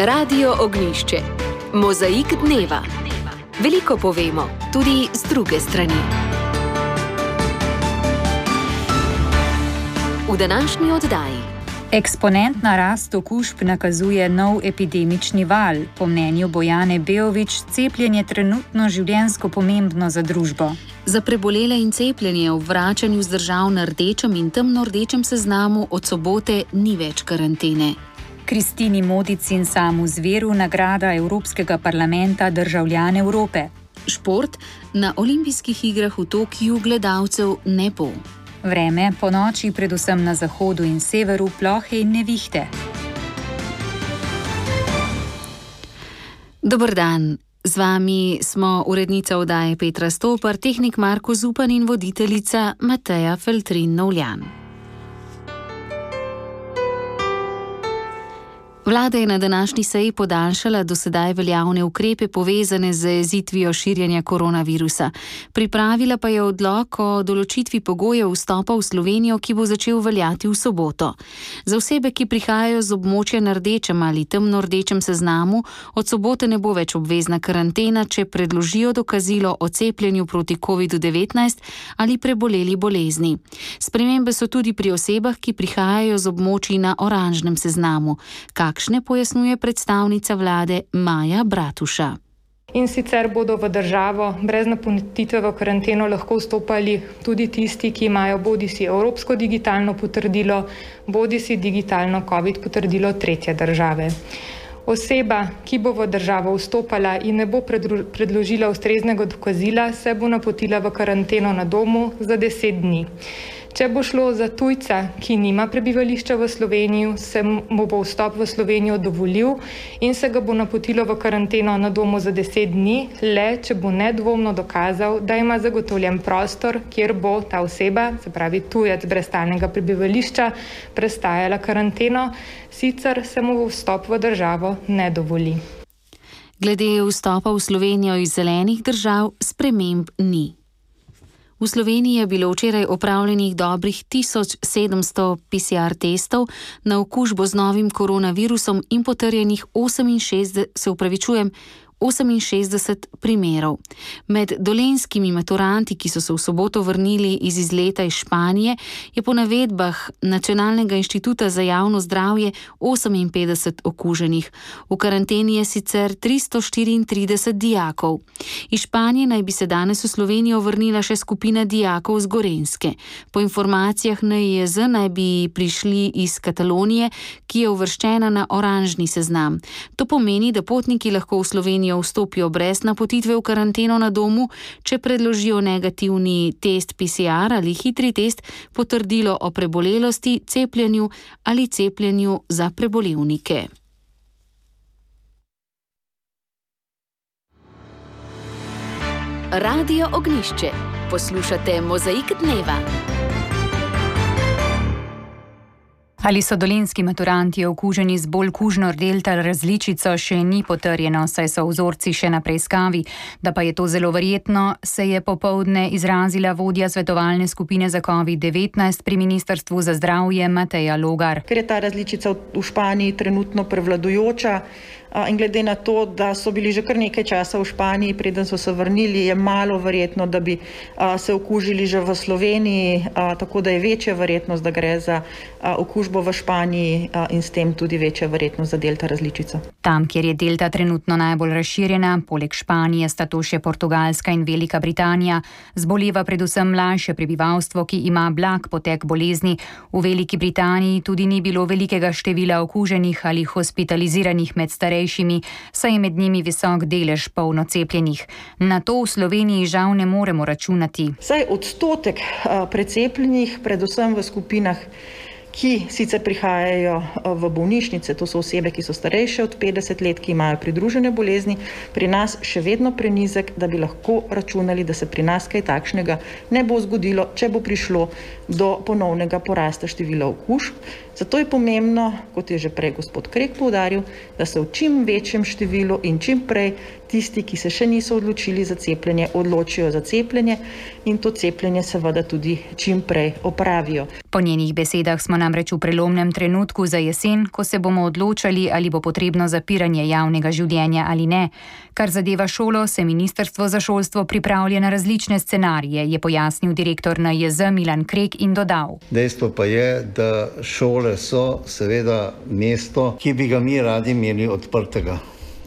Radio Ognjišče. Mozaik dneva. Veliko povemo, tudi z druge strani. V današnji oddaji. Eksponentna rast okužb nakazuje nov epidemični val. Po mnenju Bojane Beović, cepljenje trenutno življenjsko pomembno za družbo. Za prebolele in cepljenje v vračanju z držav na rdečem in temno-rdečem seznamu od sobote ni več karantene. Kristini Modic in Samu Zveru nagrada Evropskega parlamenta Državljan Evrope. Šport na olimpijskih igrah v Tokiu gledalcev ne bo. Vreme po noči predvsem na zahodu in severu plohe in nevihte. Dober dan. Z vami smo urednica oddaje Petra Stopar, tehnik Marko Zupan in voditeljica Mateja Feltrin-Novljan. Vlada je na današnji seji podaljšala do sedaj veljavne ukrepe povezane z zajezitvijo širjenja koronavirusa. Pripravila pa je odlok o določitvi pogojev vstopa v Slovenijo, ki bo začel veljati v soboto. Za osebe, ki prihajajo z območja na rdečem ali temno-rdečem seznamu, od sobote ne bo več obvezna karantena, če predložijo dokazilo o cepljenju proti COVID-19 ali preboleli bolezni. Spremembe so tudi pri osebah, ki prihajajo z območij na oranžnem seznamu. Kakšne pojasnjuje predstavnica vlade Maja Bratuša. In sicer bodo v državo brez napotitve v karanteno lahko vstopali tudi tisti, ki imajo bodisi evropsko digitalno potrdilo, bodisi digitalno COVID potrdilo tretje države. Oseba, ki bo v državo vstopala in ne bo predložila ustreznega dokazila, se bo napotila v karanteno na domu za 10 dni. Če bo šlo za tujca, ki nima prebivališča v Sloveniji, se mu bo vstop v Slovenijo dovolil in se ga bo napotilo v karanteno na domu za 10 dni, le če bo nedvomno dokazal, da ima zagotovljen prostor, kjer bo ta oseba, se pravi tujec brez stalnega prebivališča, prestajala karanteno, sicer se mu vstop v državo ne dovoli. Glede vstopa v Slovenijo iz zelenih držav sprememb ni. V Sloveniji je bilo včeraj opravljenih dobrih 1700 PCR testov na okužbo z novim koronavirusom in potrjenih 68 primerov. Med dolenjskimi maturanti, ki so se v soboto vrnili iz izleta iz Španije, je po navedbah Nacionalnega inštituta za javno zdravje 58 okuženih. V karanteni je sicer 334 dijakov. Iz Španije naj bi se danes v Slovenijo vrnila še skupina dijakov z Gorenjske. Po informacijah NIJZ naj bi prišli iz Katalonije, ki je uvrščena na oranžni seznam. To pomeni, da potniki lahko v Slovenijo vstopijo brez napotitve v karanteno na domu, če predložijo negativni test PCR ali hitri test, potrdilo o prebolelosti, cepljenju ali cepljenju za prebolevnike. Radio Ognjišče. Poslušate Mozaik dneva. Ali so dolenjski maturanti okuženi z bolj kužno delta različico, še ni potrjeno, saj so vzorci še na preiskavi. Da pa je to zelo verjetno, se je popoldne izrazila vodja svetovalne skupine za COVID-19 pri Ministrstvu za zdravje Mateja Logar. Ker je ta različica v Španiji trenutno prevladujoča in glede na to, da so bili že kar nekaj časa v Španiji, preden so se vrnili, je malo verjetno, da bi se okužili že v Sloveniji, tako da je večja verjetnost, da gre za okužbo v Španiji in s tem tudi večja verjetnost za delta različico. Tam, kjer je delta trenutno najbolj razširjena, poleg Španije sta to še Portugalska in Velika Britanija, zboleva predvsem mlajše prebivalstvo, ki ima blag potek bolezni. V Veliki Britaniji tudi ni bilo velikega števila okuženih ali hospitaliziranih med starejšimi, saj je med njimi visok delež polno cepljenih. Na to v Sloveniji žal ne moremo računati. Saj odstotek precepljenih, predvsem v skupinah, ki sicer prihajajo v bolnišnice, to so osebe, ki so starejše od 50 let, ki imajo pridružene bolezni, pri nas še vedno prenizek, da bi lahko računali, da se pri nas kaj takšnega ne bo zgodilo, če bo prišlo do ponovnega porasta števila okužb. Zato je pomembno, kot je že prej gospod Krek poudaril, da se v čim večjem številu in čim prej tisti, ki se še niso odločili za cepljenje, odločijo za cepljenje in to cepljenje seveda tudi čim prej opravijo. Po njenih besedah smo namreč v prelomnem trenutku za jesen, ko se bomo odločali, ali bo potrebno zapiranje javnega življenja ali ne. Kar zadeva šolo, se Ministrstvo za šolstvo pripravlja na različne scenarije, je pojasnil direktor NIJZ Milan Krek in dodal. Dejstvo pa je, da šole so seveda mesto, ki bi ga mi radi imeli odprtega.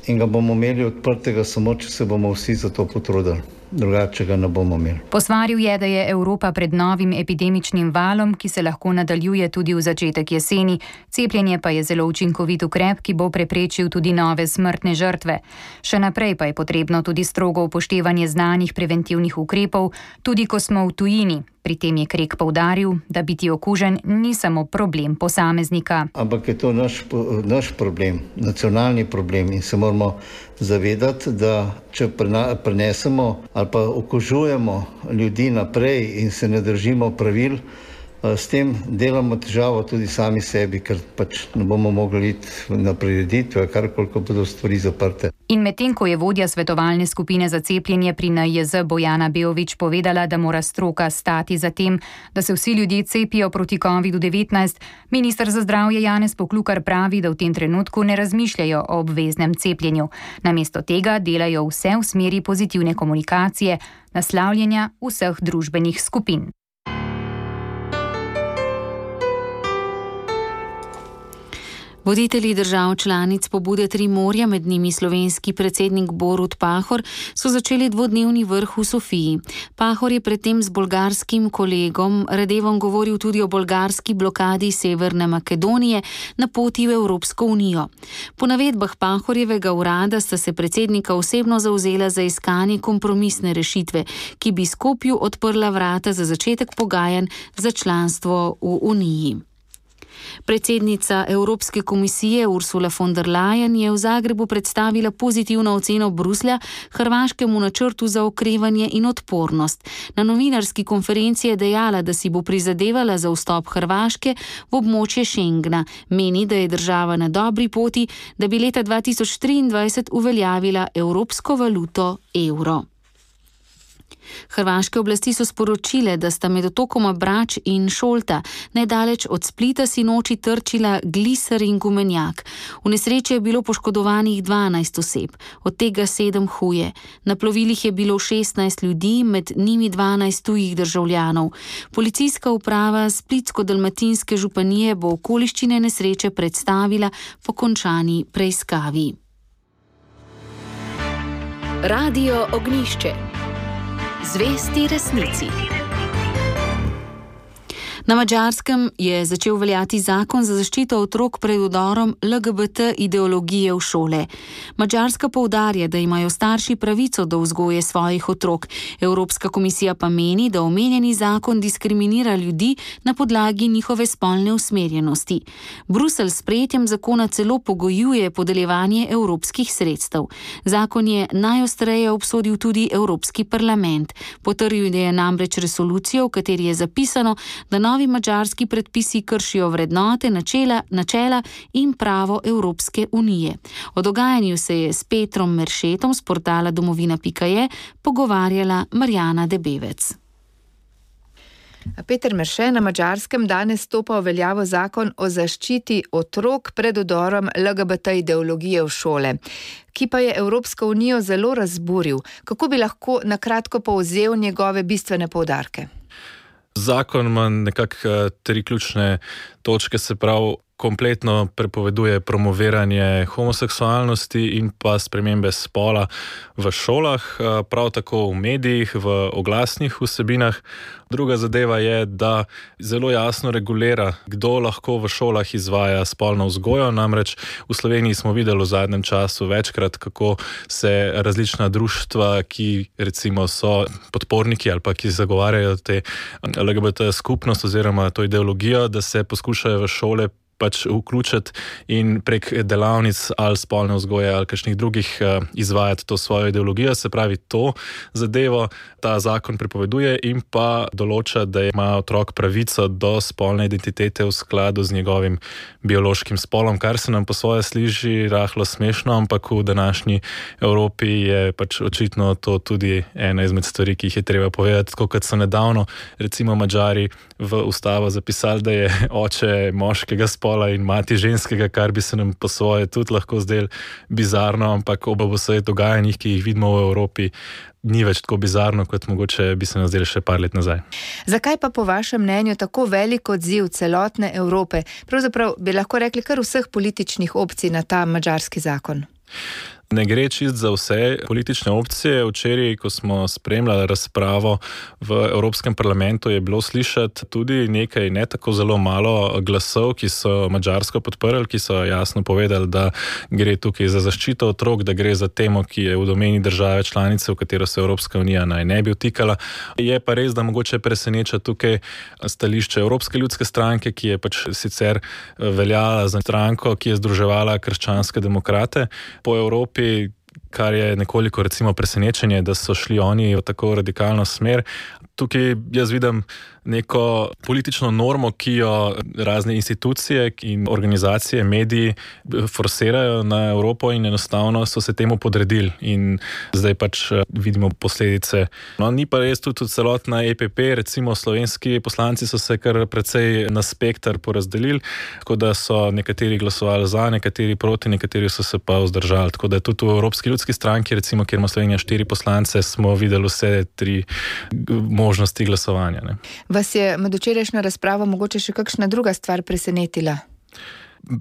In ga bomo imeli odprtega samo, če se bomo vsi za to potrudili. Drugače ga ne bomo imeli. Posvaril je, da je Evropa pred novim epidemičnim valom, ki se lahko nadaljuje tudi v začetek jeseni. Cepljenje pa je zelo učinkovit ukrep, ki bo preprečil tudi nove smrtne žrtve. Še naprej pa je potrebno tudi strogo upoštevanje znanih preventivnih ukrepov, tudi ko smo v tujini. Pri tem je Krek poudaril, da biti okužen ni samo problem posameznika. Ampak je to naš problem, nacionalni problem in se moramo zavedati, da če prenesemo ali pa okužujemo ljudi naprej in se ne držimo pravil, s tem delamo težavo tudi sami sebi, ker pač ne bomo mogli iti na prireditve, karkoliko bodo stvari zaprte. In medtem, ko je vodja svetovalne skupine za cepljenje pri NIJZ Bojana Beović povedala, da mora stroka stati za tem, da se vsi ljudje cepijo proti COVID-19, minister za zdravje Janez Poklukar pravi, da v tem trenutku ne razmišljajo o obveznem cepljenju. Namesto tega delajo vse v smeri pozitivne komunikacije, naslavljanja vseh družbenih skupin. Voditelji držav članic pobude Tri morja, med njimi slovenski predsednik Borut Pahor, so začeli dvodnevni vrh v Sofiji. Pahor je predtem z bolgarskim kolegom Radevom govoril tudi o bolgarski blokadi Severne Makedonije na poti v Evropsko unijo. Po navedbah Pahorjevega urada sta se predsednika osebno zavzela za iskanje kompromisne rešitve, ki bi Skopju odprla vrata za začetek pogajanj za članstvo v Uniji. Predsednica Evropske komisije Ursula von der Leyen je v Zagrebu predstavila pozitivno oceno Bruslja hrvaškemu načrtu za okrevanje in odpornost. Na novinarski konferenci je dejala, da si bo prizadevala za vstop Hrvaške v območje Schengena. Meni, da je država na dobri poti, da bi leta 2023 uveljavila evropsko valuto evro. Hrvaške oblasti so sporočile, da sta med otokoma Brač in Šolta nedaleč od Splita sinoči trčila gliser in gumenjak. V nesreči je bilo poškodovanih 12 oseb, od tega 7 huje. Na plovilih je bilo 16 ljudi, med njimi 12 tujih državljanov. Policijska uprava Splitsko-dalmatinske županije bo okoliščine nesreče predstavila po končani preiskavi. Radio Ognjišče. Zvesti resnici. Na Madžarskem je začel veljati zakon za zaščito otrok pred vdorom LGBT ideologije v šole. Madžarska poudarja, da imajo starši pravico do vzgoje svojih otrok. Evropska komisija pa meni, da omenjeni zakon diskriminira ljudi na podlagi njihove spolne usmerjenosti. Bruselj s sprejetjem zakona celo pogojuje podeljevanje evropskih sredstev. Zakon je najostreje obsodil tudi Evropski parlament. Potrjuje je namreč resolucijo, v kateri je zapisano, da novi madžarski predpisi kršijo vrednote, načela in pravo Evropske unije. O dogajanju se je s Petrom Meršetom z portala domovina.je pogovarjala Marjana Debevec. Peter Merše, na Madžarskem danes stopa v veljavo zakon o zaščiti otrok pred vdorom LGBT ideologije v šole, ki pa je Evropsko unijo zelo razburil. Kako bi lahko na kratko povzel njegove bistvene poudarke? Zakon ima nekako 3 ključne točke, se pravi, kompletno prepoveduje promoviranje homoseksualnosti in pa spremembe spola v šolah, prav tako v medijih, v oglasnih vsebinah. Druga zadeva je, da zelo jasno regulira, kdo lahko v šolah izvaja spolno vzgojo. Namreč v Sloveniji smo videli v zadnjem času večkrat, kako se različna društva, ki recimo so podporniki ali pa ki zagovarjajo te LGBT skupnost oziroma to ideologijo, da se poskušajo v šole pač vključiti in prek delavnic ali spolne vzgoje ali kakšnih drugih izvajati to svojo ideologijo. Se pravi, to zadevo ta zakon prepoveduje in pa določa, da ima otrok pravico do spolne identitete v skladu z njegovim biološkim spolom, kar se nam po svoje sliši rahlo smešno, ampak v današnji Evropi je pač očitno to tudi ena izmed stvari, ki jih je treba povedati. Tako kot so nedavno recimo Madžari v ustavo zapisali, da je oče moškega spola in mati ženskega, kar bi se nam po svoje tudi lahko zdelo bizarno, ampak ob vseh dogajanjih, ki jih vidimo v Evropi, ni več tako bizarno, kot mogoče bi se nam zdelo še par let nazaj. Zakaj pa po vašem mnenju tako velik odziv celotne Evrope, pravzaprav bi lahko rekli kar vseh političnih opcij na ta madžarski zakon? Ne gre čist za vse politične opcije. Včeraj, ko smo spremljali razpravo v Evropskem parlamentu, je bilo slišati tudi nekaj ne tako zelo malo glasov, ki so Madžarsko podprli, ki so jasno povedali, da gre tukaj za zaščito otrok, da gre za temo, ki je v domeni države članice, v katero se Evropska unija naj ne bi vtikala. Je pa res, da mogoče preseneča tukaj stališče Evropske ljudske stranke, ki je pač sicer veljala za stranko, ki je združevala krščanske demokrate po Evropi, kar je nekoliko recimo presenečenje, da so šli oni v tako radikalno smer. Tukaj jaz vidim neko politično normo, ki jo razne institucije in organizacije, mediji forsirajo na Evropo in enostavno so se temu podredili in zdaj pač vidimo posledice. No, ni pa res tudi celotna EPP, recimo slovenski poslanci so se kar precej na spektar porazdelili, tako da so nekateri glasovali za, nekateri proti, nekateri so se pa vzdržali. Tako da tudi v Evropski ljudski stranki, recimo, kjer ima Slovenija 4 poslance, smo videli vse 3 možnosti glasovanja. Ne. Vas je med včerajšnjo razpravo mogoče še kakšna druga stvar presenetila?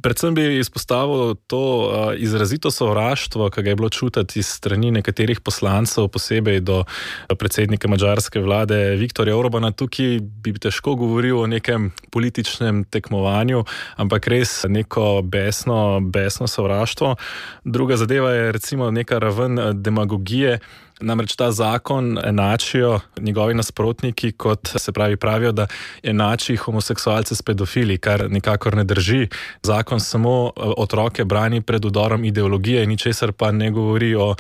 Predvsem bi izpostavil to izrazito sovraštvo, ki ga je bilo čutiti iz strani nekaterih poslancev, posebej do predsednika madžarske vlade Viktorja Orbana. Tukaj bi težko govoril o nekem političnem tekmovanju, ampak res neko besno sovraštvo. Druga zadeva je recimo neka raven demagogije. Namreč ta zakon enačijo njegovi nasprotniki, kot se pravijo, da enači homoseksualce s pedofili, kar nikakor ne drži. Zakon samo otroke brani pred vdorom ideologije, ničesar pa ne govori o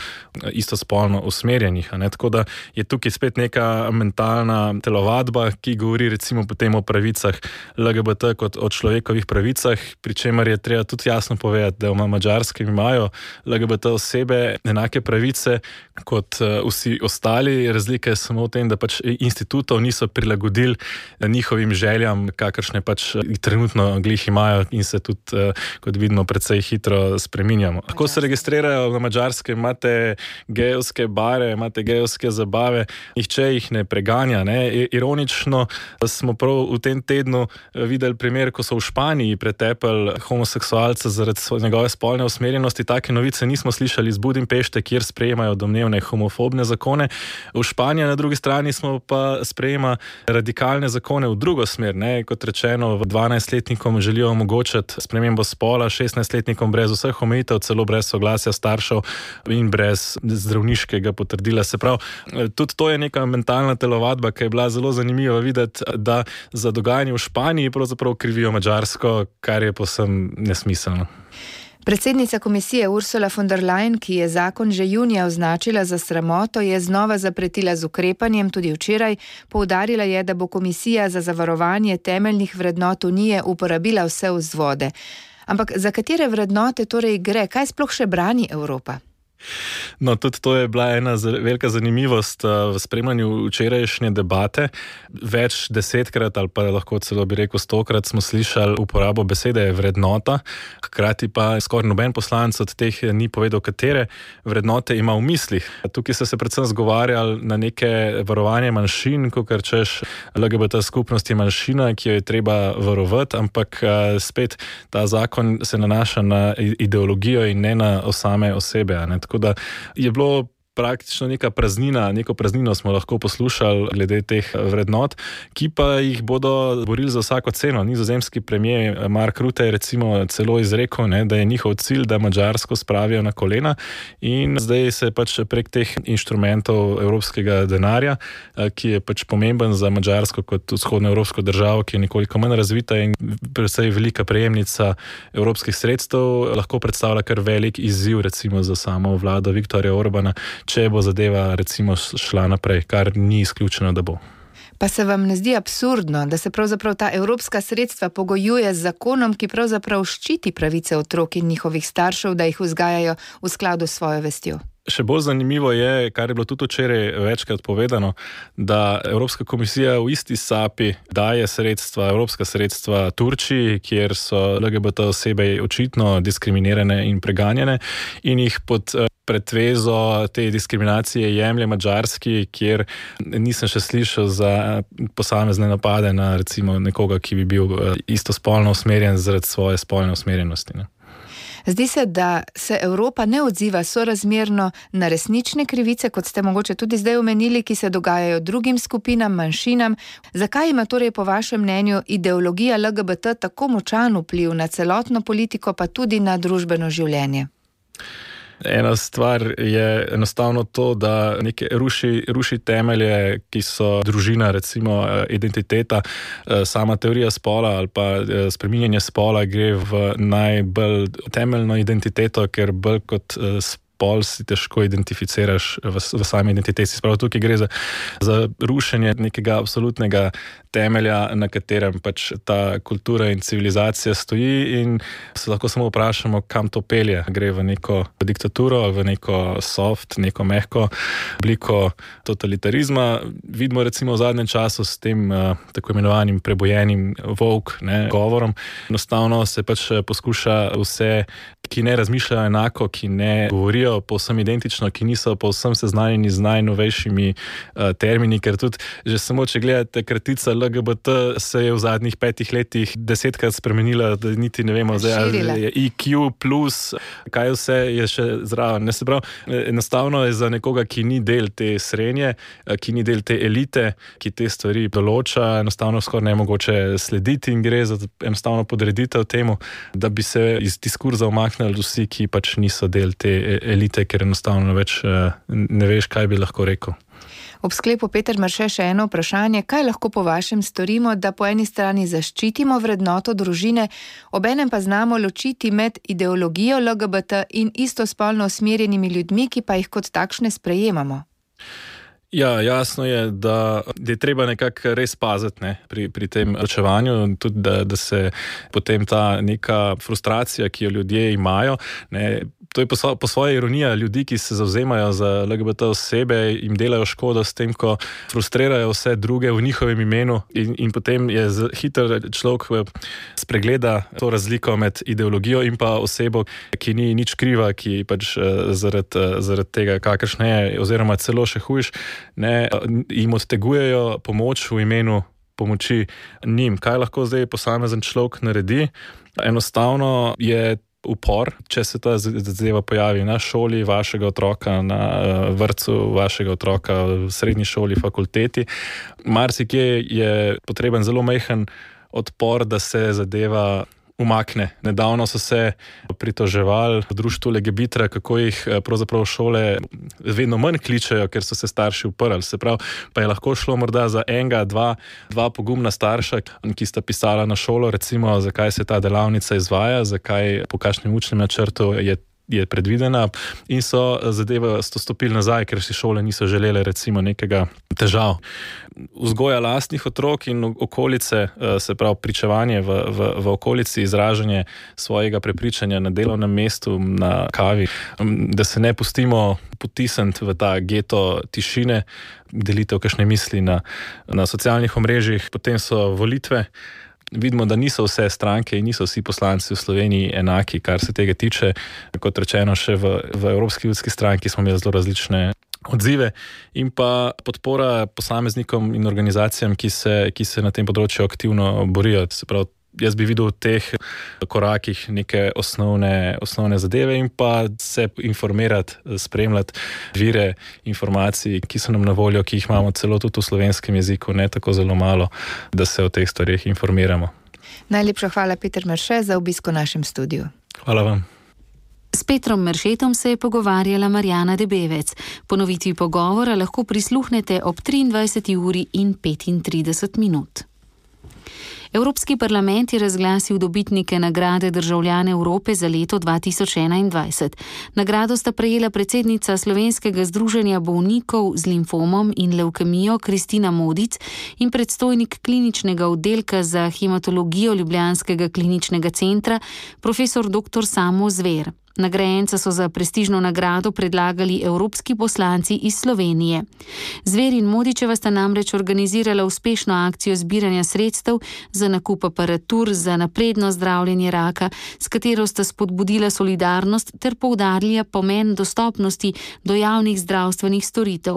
istospolno usmerjenih. Tako da je tukaj spet neka mentalna telovadba, ki govori recimo potem o pravicah LGBT kot o človekovih pravicah, pri čemer je treba tudi jasno povedati, da v Madžarskem imajo LGBT osebe enake pravice kot vsi ostali. Razlika je samo v tem, da pač institutov niso prilagodili njihovim željam, kakršne pač trenutno glih imajo in se tudi, kot vidimo, precej hitro spreminjamo. Tako se registrirajo na Madžarskem, imate gejevske bare, imate gejevske zabave, nihče jih ne preganja. Ne? Ironično smo prav v tem tednu videli primer, ko so v Španiji pretepali homoseksualce zaradi njegove spolne usmerjenosti. Take novice nismo slišali iz Budimpešte, kjer sprejemajo domnevne homofobne zakone. V Španiji na drugi strani smo pa sprejema radikalne zakone v drugo smer. Ne? Kot rečeno, 12-letnikom želijo omogočiti spremembo spola, 16-letnikom brez vseh omejitev, celo brez soglasja staršev in brez zdravniškega potrdila. Se pravi, tudi to je neka mentalna telovadba, ki je bila zelo zanimiva videti, da za dogajanje v Španiji pravzaprav krivijo Madžarsko, kar je povsem nesmiselno. Predsednica komisije Ursula von der Leyen, ki je zakon že junija označila za sramoto, je znova zapretila z ukrepanjem tudi včeraj. Poudarila je, da bo komisija za zavarovanje temeljnih vrednot Unije uporabila vse vzvode. Ampak za katere vrednote torej gre? Kaj sploh še brani Evropa? No, tudi to je bila ena velika zanimivost v spremljanju včerajšnje debate. Več desetkrat ali pa lahko celo bi rekel 100-krat smo slišali uporabo besede vrednota, hkrati pa skoraj noben poslanec od teh ni povedal, katere vrednote ima v mislih. Tukaj so se predvsem zgovarjali na neke varovanje manjšin, kakor češ LGBT skupnost je manjšina, ki jo je treba varovati, ampak spet ta zakon se nanaša na ideologijo in ne na same osebe. Tako da je bilo praktično neko praznino smo lahko poslušali glede teh vrednot, ki pa jih bodo borili za vsako ceno. Nizozemski premier Mark Rutte je recimo celo izrekel, da je njihov cilj, da Madžarsko spravijo na kolena, in zdaj se pač prek teh inštrumentov evropskega denarja, ki je pač pomemben za Madžarsko kot vzhodnoevropsko državo, ki je nekoliko manj razvita in predvsej velika prejemnica evropskih sredstev, lahko predstavlja kar velik izziv recimo za samo vlado Viktorja Orbana, če bo zadeva recimo šla naprej, kar ni izključeno, da bo. Pa se vam ne zdi absurdno, da se pravzaprav ta evropska sredstva pogojuje z zakonom, ki pravzaprav ščiti pravice otrok in njihovih staršev, da jih vzgajajo v skladu s svojo vestjo? Še bolj zanimivo je, kar je bilo tudi včeraj večkrat povedano, da Evropska komisija v isti sapi daje evropska sredstva Turčiji, kjer so LGBT osebe očitno diskriminirane in preganjene, in jih pod pretvezo te diskriminacije jemlje Madžarski, kjer nisem še slišal za posamezne napade na recimo nekoga, ki bi bil istospolno usmerjen zaradi svoje spolne usmerjenosti. Zdi se, da se Evropa ne odziva sorazmerno na resnične krivice, kot ste mogoče tudi zdaj omenili, ki se dogajajo drugim skupinam, manjšinam. Zakaj ima torej po vašem mnenju ideologija LGBT tako močan vpliv na celotno politiko, pa tudi na družbeno življenje? Ena stvar je enostavno to, da ruši temelje, ki so družina, recimo identiteta, sama teorija spola ali pa spreminjanje spola gre v najbolj temeljno identiteto, ker bolj kot spol si težko identificiraš v sami identiteti. Spravo tukaj gre za rušenje nekega absolutnega temelja, na katerem pač ta kultura in civilizacija stoji, in se lahko samo vprašamo, kam to pelje. Gre v neko diktaturo, v neko soft, neko mehko obliko totalitarizma. Vidimo recimo v zadnjem času s tem tako imenovanim prebojenim woke govorom. Enostavno se pač poskuša vse, ki ne razmišljajo enako, ki ne govorijo povsem identično, ki niso povsem seznanjeni z najnovejšimi termini, ker tudi že samo, če gledate kratica LGBT, se je v zadnjih 5 letih 10-krat spremenila, da niti ne vemo, zdaj je IQ plus, kaj vse je še zraven. Se pravi, enostavno je za nekoga, ki ni del te srednje, ki ni del te elite, ki te stvari določa, enostavno skoraj nemogoče slediti, in gre za enostavno podreditev temu, da bi se iz diskurza umaknili vsi, ki pač niso del te elite, ker enostavno več ne veš, kaj bi lahko rekel. Ob sklepu, Peter Marše, še eno vprašanje. Kaj lahko po vašem storimo, da po eni strani zaščitimo vrednoto družine, obenem pa znamo ločiti med ideologijo LGBT in istospolno usmerjenimi ljudmi, ki pa jih kot takšne sprejemamo? Ja, jasno je, da je treba nekako res paziti pri tem ločevanju, tudi da se potem ta neka frustracija, ki jo ljudje imajo, to je po svoje ironija ljudi, ki se zavzemajo za LGBT osebe, jim delajo škodo s tem, ko frustrirajo vse druge v njihovem imenu, in potem je hiter človek spregleda to razliko med ideologijo in pa osebo, ki ni nič kriva, ki pač zaradi tega, kakršne je, oziroma celo še hujš, jim odtegujejo pomoč v imenu pomoči njim. Kaj lahko zdaj posamezen človek naredi? Enostavno je upor, če se ta zadeva pojavi na šoli vašega otroka, na vrtcu vašega otroka, v srednji šoli, fakulteti. Marsikje je potreben zelo majhen odpor, da se zadeva umakne. Nedavno so se pritoževali v društvu Legebitra, kako jih pravzaprav šole vedno manj kličejo, ker so se starši uprli. Se pravi, pa je lahko šlo morda za dva pogumna starša, ki sta pisala na šolo, recimo, zakaj se ta delavnica izvaja, zakaj, po kakšnem učnem načrtu je predvidena, in so zadeve stopili nazaj, ker si šole niso želele recimo nekega težav. Vzgoja lastnih otrok in okolice, se pravi pričevanje v okolici, izražanje svojega prepričanja na delovnem mestu, na kavi, da se ne pustimo potisniti v ta geto tišine, delitev kakšne misli na socialnih omrežjih. Potem so volitve. Vidimo, da niso vse stranke in niso vsi poslanci v Sloveniji enaki, kar se tega tiče. Kot rečeno, še v Evropski ljudski stranki smo imeli zelo različne odzive, in pa podpora posameznikom in organizacijam, ki se na tem področju aktivno borijo. Se pravi, jaz bi videl v teh korakih neke osnovne zadeve in pa se informirati, spremljati vire informacij, ki so nam na voljo, ki jih imamo celo tudi v slovenskem jeziku, ne tako zelo malo, da se o teh stvarih informiramo. Najlepša hvala, Peter Merše, za obisk v našem studiu. Hvala vam. S Petrom Meršetom se je pogovarjala Marjana Debevec. Ponovitvi pogovora lahko prisluhnete ob 23:35. Evropski parlament je razglasil dobitnike nagrade Državljane Evrope za leto 2021. Nagrado sta prejela predsednica Slovenskega združenja bolnikov z limfomom in levkemijo Kristina Modic in predstojnik kliničnega oddelka za hematologijo Ljubljanskega kliničnega centra profesor dr. Samo Zver. Nagrajenca so za prestižno nagrado predlagali evropski poslanci iz Slovenije. Zver in Modičeva sta namreč organizirala uspešno akcijo zbiranja sredstev za nakup aparatur za napredno zdravljenje raka, s katero sta spodbudila solidarnost ter poudarila pomen dostopnosti do javnih zdravstvenih storitev.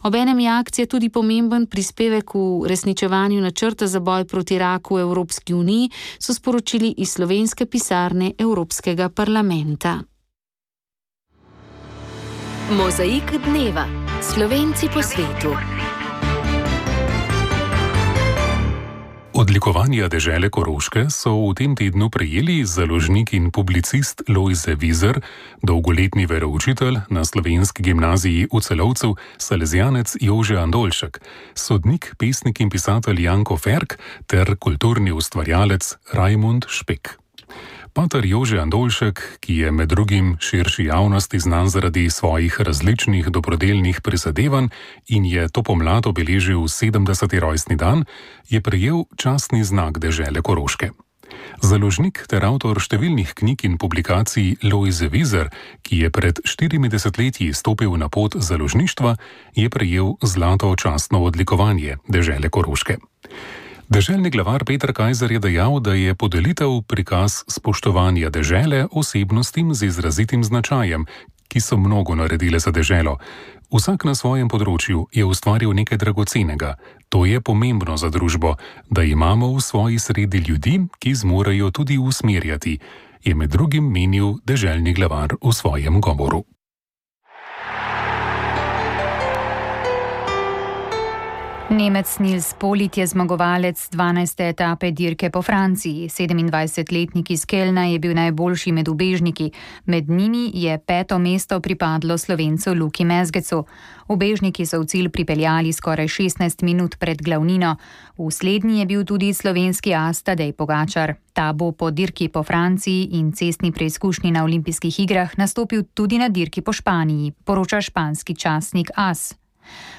Obenem je akcija tudi pomemben prispevek v resničevanju načrta za boj proti raku v Evropski uniji, so sporočili iz slovenske pisarne Evropskega parlamenta. Mozaik dneva. Slovenci po svetu. Odlikovanja dežele Koroške so v tem tednu prejeli založnik in publicist Lojze Vizer, dolgoletni veroučitelj na slovenski gimnaziji v Celovcu, salezijanec Jože Andoljšek, sodnik, pesnik in pisatelj Janko Ferk ter kulturni ustvarjalec Rajmund Špek. Pater Jože Andoljšek, ki je med drugim širši javnosti znan zaradi svojih različnih dobrodelnih prizadevanj in je to pomlad obeležil 70. rojstni dan, je prejel častni znak dežele Koroške. Založnik ter avtor številnih knjig in publikacij Lojze Vizer, ki je pred 4 desetletji stopil na pot založništva, je prejel zlato častno odlikovanje dežele Koroške. Deželni glavar Peter Kajzer je dejal, da je podelitev prikaz spoštovanja dežele osebnostim z izrazitim značajem, ki so mnogo naredile za deželo. Vsak na svojem področju je ustvaril nekaj dragocenega. To je pomembno za družbo, da imamo v svoji sredi ljudi, ki zmorejo tudi usmerjati, je med drugim menil deželni glavar v svojem govoru. Nemec Nils Polit je zmagovalec 12. etape dirke po Franciji. 27-letnik iz Kelna je bil najboljši med ubežniki. Med njimi je 5. mesto pripadlo Slovencu Luki Mezgecu. Ubežniki so v cilj pripeljali skoraj 16 minut pred glavnino. V slednji je bil tudi slovenski as Tadej Pogačar. Ta bo po dirki po Franciji in cestni preizkušnji na olimpijskih igrah nastopil tudi na dirki po Španiji, poroča španski časnik AS.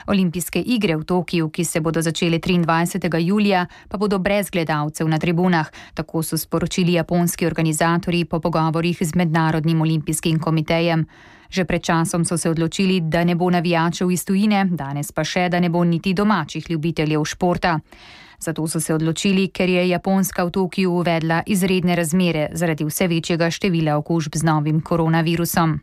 Olimpijske igre v Tokiju, ki se bodo začele 23. julija, pa bodo brez gledalcev na tribunah, tako so sporočili japonski organizatorji po pogovorih z Mednarodnim olimpijskim komitejem. Že pred časom so se odločili, da ne bo navijačev iz tujine, danes pa še, da ne bo niti domačih ljubiteljev športa. Zato so se odločili, ker je Japonska v Tokiju uvedla izredne razmere zaradi vse večjega števila okužb z novim koronavirusom.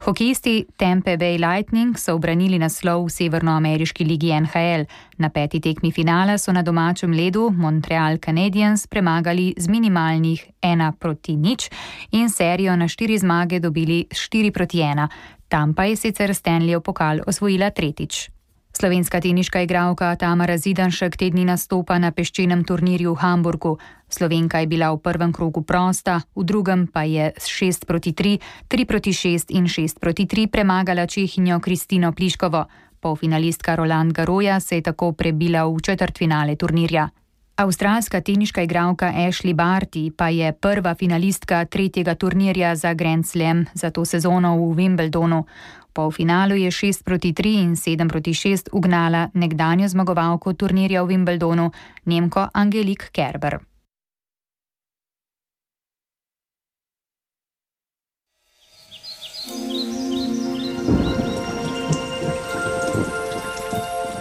Hokejisti Tampa Bay Lightning so ubranili naslov v severnoameriški ligi NHL. Na 5. tekmi finala so na domačem ledu Montreal Canadiens premagali z minimalnih 1-0 in serijo na 4 zmage dobili 4-1. Tampa je sicer Stanleyjev pokal osvojila tretjič. Slovenska teniška igralka Tamara Zidanšek te dni nastopa na peščenem turnirju v Hamburgu. Slovenka je bila v prvem krogu prosta, v drugem pa je s 6-3, 3-6 in 6-3 premagala Čehinjo Kristino Pliškovo. Polfinalistka Roland Garrosa se je tako prebila v četrtfinale turnirja. Avstralska teniška igralka Ashley Barty pa je prva finalistka 3. turnirja za Grand Slam za to sezono v Wimbledonu. V polfinalu je 6-3 in 7-6 ugnala nekdanjo zmagovalko turnirja v Wimbledonu, Nemko Angelique Kerber.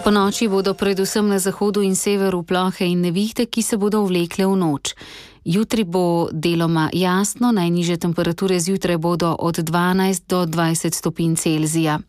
Po noči bodo predvsem na zahodu in severu plohe in nevihte, ki se bodo vlekle v noč. Jutri bo deloma jasno, najnižje temperature zjutraj bodo od 12 do 20 stopinj Celzija.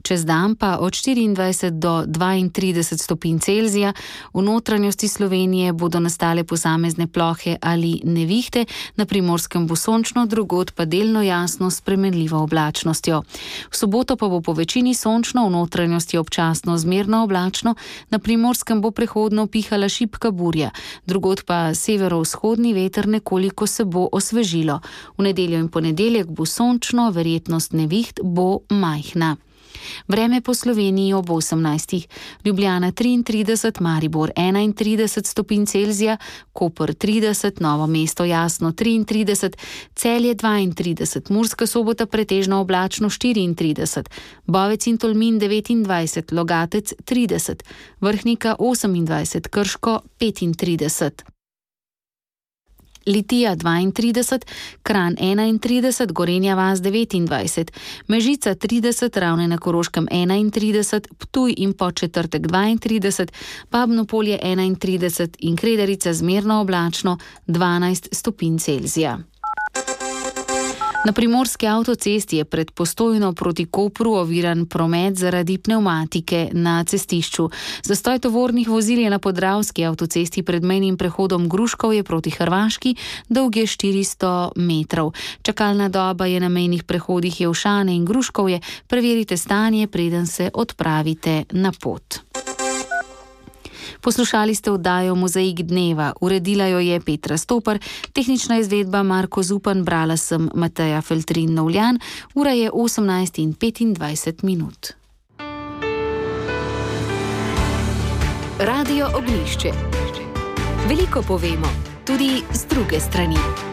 Čez dan pa od 24 do 32 stopinj Celzija. V notranjosti Slovenije bodo nastale posamezne plohe ali nevihte, na Primorskem bo sončno, drugod pa delno jasno s spremenljivo oblačnostjo. V soboto pa bo po večini sončno, v notranjosti občasno zmerno oblačno, na Primorskem bo prehodno pihala šibka burja, drugod pa severovzhodni veter, nekoliko se bo osvežilo. V nedeljo in ponedeljek bo sončno, verjetnost neviht bo majhna. Vreme po Sloveniji ob 18. Ljubljana 33, Maribor 31 stopinj Celzija, Koper 30, Novo mesto jasno 33, Celje 32, Murska Sobota pretežno oblačno 34, Bovec in Tolmin 29, Logatec 30, Vrhnika 28, Krško 35. Litija 32, Kranj 31, Gorenja vas 29, Mežica 30, Ravne na Koroškem 31, Ptuj in Podčetrtek 32, Babno Polje 31 in Kredarica zmerno oblačno 12 stopinj Celzija. Na Primorski avtocesti je pred Postojno proti Kopru oviran promet zaradi pnevmatike na cestišču. Zastoj tovornih vozil je na Podravski avtocesti pred mejnim prehodom Gruškovje proti Hrvaški, dolg je 400 metrov. Čakalna doba je na mejnih prehodih Jelšane in Gruškovje. Preverite stanje, preden se odpravite na pot. Poslušali ste oddajo Mozaik dneva, uredila jo je Petra Stopar, tehnična izvedba Marko Zupan, brala sem Mateja Feltrin-Novljan, ura je 18:25. Radio Oglišče. Veliko povemo, tudi z druge strani.